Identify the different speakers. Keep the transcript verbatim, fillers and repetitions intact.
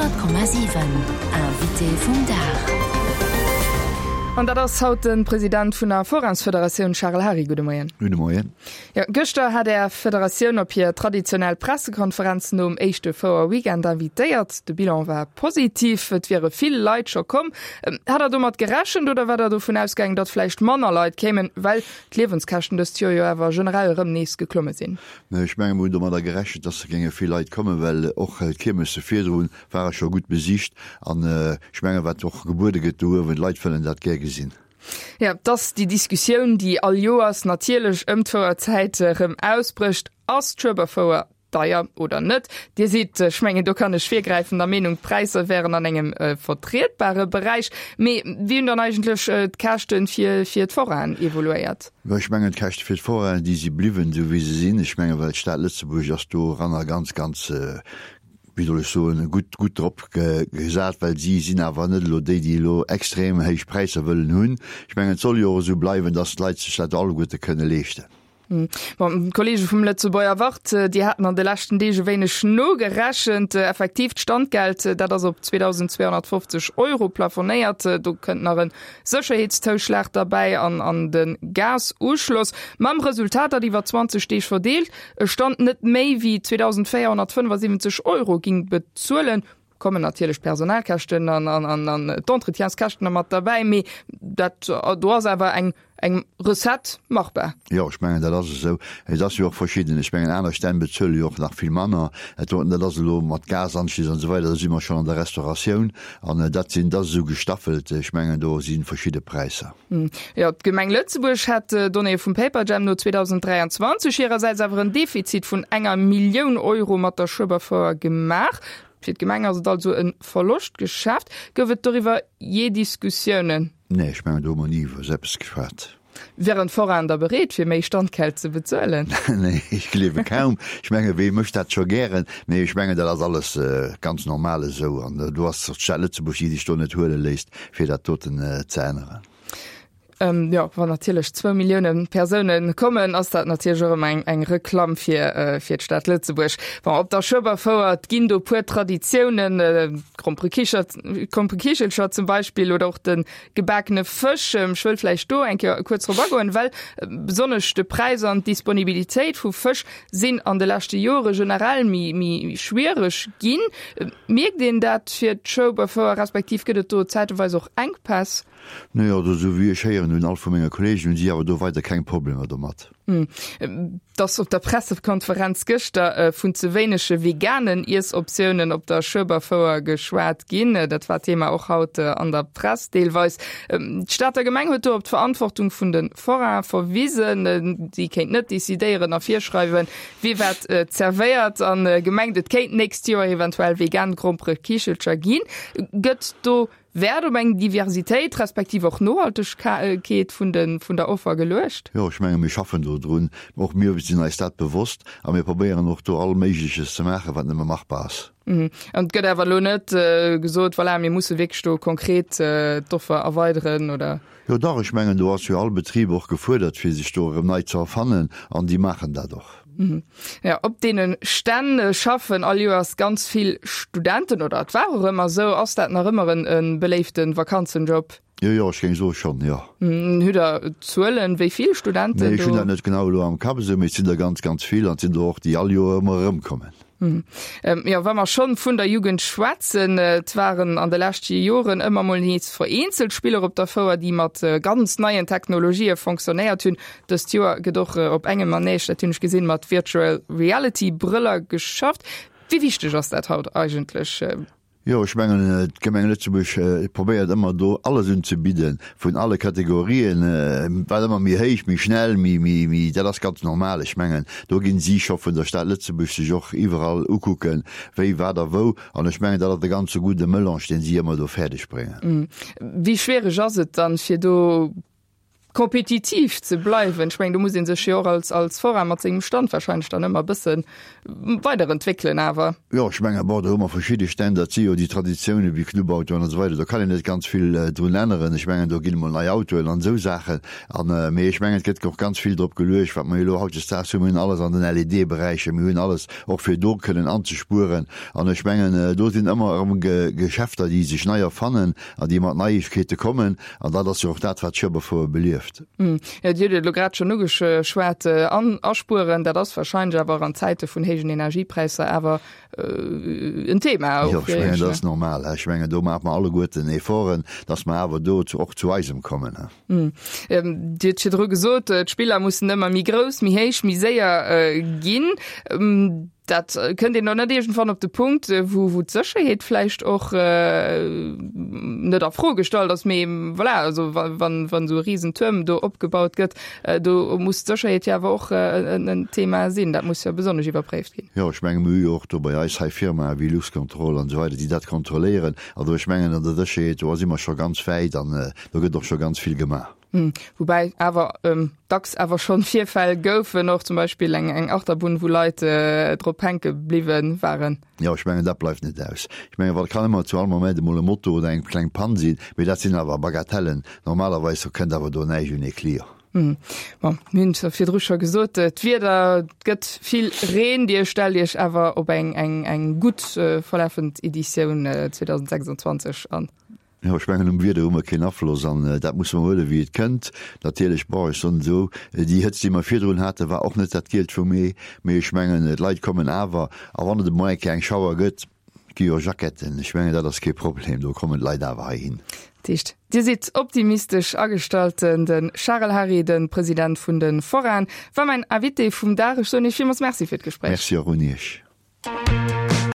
Speaker 1: Honnert Komma siwen, Invité vum Dag.
Speaker 2: An dat ass haut de President vun der Forainsfederatioun Charel Hary. Gudde Moien.
Speaker 3: Gudde Moien.
Speaker 2: Jo, gëschter hat Är Federatioun op hir traditionell Pressekonferenz nom éischte Fouer-Weekend invitéiert. De Bilan war positiv, et wiere vill Leit scho komm. Hat Der domat gerechent oder war Der dovun ausgaangen, datt vläicht manner Leit kéimen, well d'Liewenskäschten dëst Joer jo awer generell erëm nees geklomme sinn?
Speaker 3: Ech menge mer hunn domadder gerechent, datt géinge vill Leit kommen, well och d'Kiermesse virdru ware scho gutt besicht. An ech menge wat och gebuede gëtt do uewen, d'Leit wëllen dat gär gesinn.
Speaker 2: Jo, et ass déi Diskussioun, déi all Joers natierlech ëm d'Fouerzäit erëm ausbrécht, Ass d'Schueberfouer deier oder net? Dir sidd, ech mengen do kann ech virgräifen, der Meenung, d'Präisser wären an engem vertrietbare Beräich. Mee wéi hunn dann eigentlech d'Käschte fir fir d'Forainen evoluéiert?
Speaker 3: Jo, ech mengen d'Käschte fir d'Forainen, déi si bliwwen esou wéi se sinn. Ech mengen, well d'Stad Lëtzebuerg ass doranner ganz, ganz, wéi soll ech soen, gutt, gutt drop gesat, well si sinn awer net elo déi, déi elo extrem héich Präisser wëllen hunn. Ech mengen, et soll jo och esou bleiwen, dass d'Leit sech dat alleguerte kënne leeschten.
Speaker 2: Bon, d'Kollege vum Lëtzebuerger Wort, déi haten an de leschten Deeg e wéineg nogerechent. Effektiv, d'Standgeld, dat ass op zweedausendzweehonnertfofzeg Euro plafonéiert. Do kënnt nach e Sécherheetszouschlag derbäi an an de Gasuschloss. Mam Resultat, datt iwwer zwanzeg Deeg verdeelt e Stand net méi wéi zweedausendvéierhonnertfënnefasiwwenzeg Euro ging bezuelen. Kommen natierlech d'Personalkäschten an an d'Entretienskäschten nach mat derbäi, mee dat do ass awer eng eng Recette machbar.
Speaker 3: Jo, ech mengen, dat ass esou. Et ass jo och verschidden. Ech mengen, aner Stänn bezuele jo och nach vill manner. Dat doten, dat ass elo mat Gasanschlüss an esou weider, do si mer schonn an der Restauratioun an dat sinn, dat ass esou gestaffelt. Ech mengen, do si verschidde Präisser.
Speaker 2: Jo, d'Gemeng Lëtzebuerg hat, Donnéeë vum Paperjam no, zweedausenddräianzwanzeg hirersäits awer en Defizit vun enger Millioun Euro mat der Schueberfouer gemaach. Fir d'Gemeng ass et also e Verloschtgeschäft. Gouf et doriwwer jee Diskussiounen?
Speaker 3: Nee, ech mengen, do hu mer ni iwwer esou eppes geschwat.
Speaker 2: Wären d'Forainen da bereet, fir méi Standgeld ze bezuelen?
Speaker 3: Nee, ech gleewe kaum. Ech menge wee mécht dat scho gären? Mee ech mengen, dat ass alles ganz normal esou. An do ass och d'Stad Lëtzebuerg, déi sech do net huele léisst, fir dat doten ze änneren.
Speaker 2: Jo, wann natierlech zwou Millioune Persoune kommen, ass dat natierlech och ëmmer eng, eng Reklamm fir, fir d'Stad Lëtzebuerg. Bon, op der Schueberfouer, et ginn do puer Traditiounen, d'Gromperekichelcher zum Beispill oder och de gebakene Fësch. Ech wëll vläicht do eng Kéier kuerz drop agoen, well besonnesch de Präis an d'Disponibilitéit vu Fësch sinn an de leschte Jore generell méi, méi schwiereg ginn. Mierkt een dat fir d'Schueberfouer, respektiv gëtt et do zäiteweis och Enkpäss?
Speaker 3: Nee, also esou wéi ech héieren hunn, all vu menge Kollegen, hunn si awer do weider keng Problemer domat.
Speaker 2: Et ass op der Pressekonferenz gëschter vun ze wéinege veganen Iessoptiounen op der Schueberfouer geschwat ginn. Dat war Thema och haut an der Press deelweis. D'Stater Gemeng huet do op d'Verantwortung vun de Forainen verwisen. Si kéint net decidéieren a virschreiwen, wie wat zerwéiert a gemengt, et kéint d'nächst Joer eventuell vegan Gromperekichelcher ginn. Gëtt do Wäert op eng Diversitéit respektiv och Nohaltegkeet vun de vun der Offer geluecht?
Speaker 3: Jo, ech menge mir schaffen do drun. Och mir sinn eis dat bewosst a mir probéieren och do all Méigleches ze maachen, wat nëmme machbar ass.
Speaker 2: An et gëtt awer elo net gesot, voilà, mir musse wierklech do konkret d'Offer erweideren, oder?
Speaker 3: Jo dach, ech mengen do ass jo all Betrib och gefuerdert, fir sech do erëm nei ze erfannen an déi maachen dat och.
Speaker 2: Jo, op deene Stänn schaffen all Joers ganz vill Studenten, oder et war och ëmmer esou. Ass dat nach ëmmer e beléifte Vakanzenjob?
Speaker 3: Jo, jo, ech géing soe schonn, jo.
Speaker 2: Hutt Der Zuelen, wéi vill Studenten do?
Speaker 3: Nee, ech hunn dat net genau elo am Kapp esou, mee et sinn der ganz, ganz vill an et sinn der och, déi all Joer ëmmer erëmkommen.
Speaker 2: Jo, wa mer schonn vun der Jugend schwätzen, et waren an de leschte Joren ëmmer mol nees vereenzelt Spiller op der Fouer, déi mat ganz neien Technologië fonctionnéiert hunn. Dëst Joer gëtt och op engem Manège, dat hunn ech gesinn, mat Virtual Reality Brëller geschafft. Wéi wichteg ass dat haut eigentlech?
Speaker 3: Jo, ech mengen, d'Gemeng Lëtzebuerg probéiert ëmmer do alles unzebidden, vun alle Kategorien, wat ëmmer méi héich, méi schnell, méi, méi, méi, dat ass ganz normal. Ech mengen, do ginn si scho vun der Stad Lëtzebuerg sech och iwwerall ukucken, wéi, wat a wou. An ech mengen, dat ass e ganze gudde Melange, deen si ëmmer do fäerdeg bréngen.
Speaker 2: Wéi schwiereg ass et dann, fir do kompetitiv ze bleiwen. Ech mengen, do muss ee sech jo och als, als Forain mat sengem Stand wahrscheinlech dann ëmmer e bësse weiderentwéckelen awer.
Speaker 3: Jo, ech mengen, bon, do hu mer verschidde Stänn, dat si jo déi Traditiounen wéi Clubautoen an esou weider, do kann een net ganz vill drun änneren. Ech mengen, do ginn emol nei Autoen an esou Saachen an, mee ech mengen, et gëtt och ganz vill drop geluecht, wat mer jo elo hautdesdaags hunn, mir hunn alles an den LED-Beräicher, mir hunn alles och fir do kënnen anzespueren an ech mengen, do sinn ëmmer erëm Geschäfter, déi sech nei erfannen an déi mat Neiegkeete kommen an dat ass jo och dat, wat d'Schueberfouer belieft.
Speaker 2: Jo, Dir hutt et elo grad schonn ugeschwat, an aspueren, dat ass wahrscheinlech awer och an Zäite vun héijen Energiepräisser awer en Thema.
Speaker 3: Jo, ech mengen, dat ass normal. Ech mengen, do maache mer alleguerten Efforten, dass mer awer do och zu eisem kommen.
Speaker 2: Dir hutt virdru gesot, d'Spiller mussen ëmmer méi grouss, méi héich, méi séier ginn. Dat kënnt een dann net iergendwann op de Punkt, wou wou d'Sécherheet vläicht och net a Fro gestallt ass, mee voilà, also wa wann wann esou e Risentuerm do opgebaut gëtt, do muss d'Sécherheet jo awer och en en Thema sinn. Dat muss jo besonnesch iwwerpréift ginn.
Speaker 3: Jo, ech menge mir hu jo och do bei eis hei Firmae wéi Luxcontrol an esou weider, déi dat kontrolléieren. Also ech mengen an der Sécherheet, do si mer scho ganz wäit an do gëtt och scho ganz vill gemaach.
Speaker 2: Woubäi awer dacks awer schonn Virfäll goufen, och zum Beispill eng eng Achterbunn, wou Leit drop hänke bliwwe waren.
Speaker 3: Jo, ech mengen, dat bleift net aus. Ech mengen, well et kann ëmmer zu all Moment emol e Moto oder eng kleng Pann sinn, mee dat sinn awer Bagatellen. Normalerweis kënnt awer do näischt un ee Client.
Speaker 2: Bon, mir hunn et virdru scho gesot, d'Wieder, et gëtt vill Reen. Dir stellt Iech awer op eng eng eng gutt verlafend Editioun zweedausendsechsundzwanzeg an.
Speaker 3: Jo, ech mengen, um Wieder hu mer keen Afloss an dat musse mer huelen, wéi et kënnt. Natierlech, bon, ech soen esou, déi Hëtzt, déi mer virdrun haten, war och net dat Gielt vum Ee, mee ech mengen, d'Leit kommen awer. A wann et emol eng Kéier eng Schauer gëtt, gi jo Jacketten, ech mengen, dat ass kee Problem, do kommen d'Leit awer heihin.
Speaker 2: Dat heescht, Dir sidd optimistesch agestallt. De Charel Hary, de President vun de Forainen, war mäin Invité vum Dag. Ech soen Iech villmools Merci fir d'Gespréich.
Speaker 3: Merci och un Iech.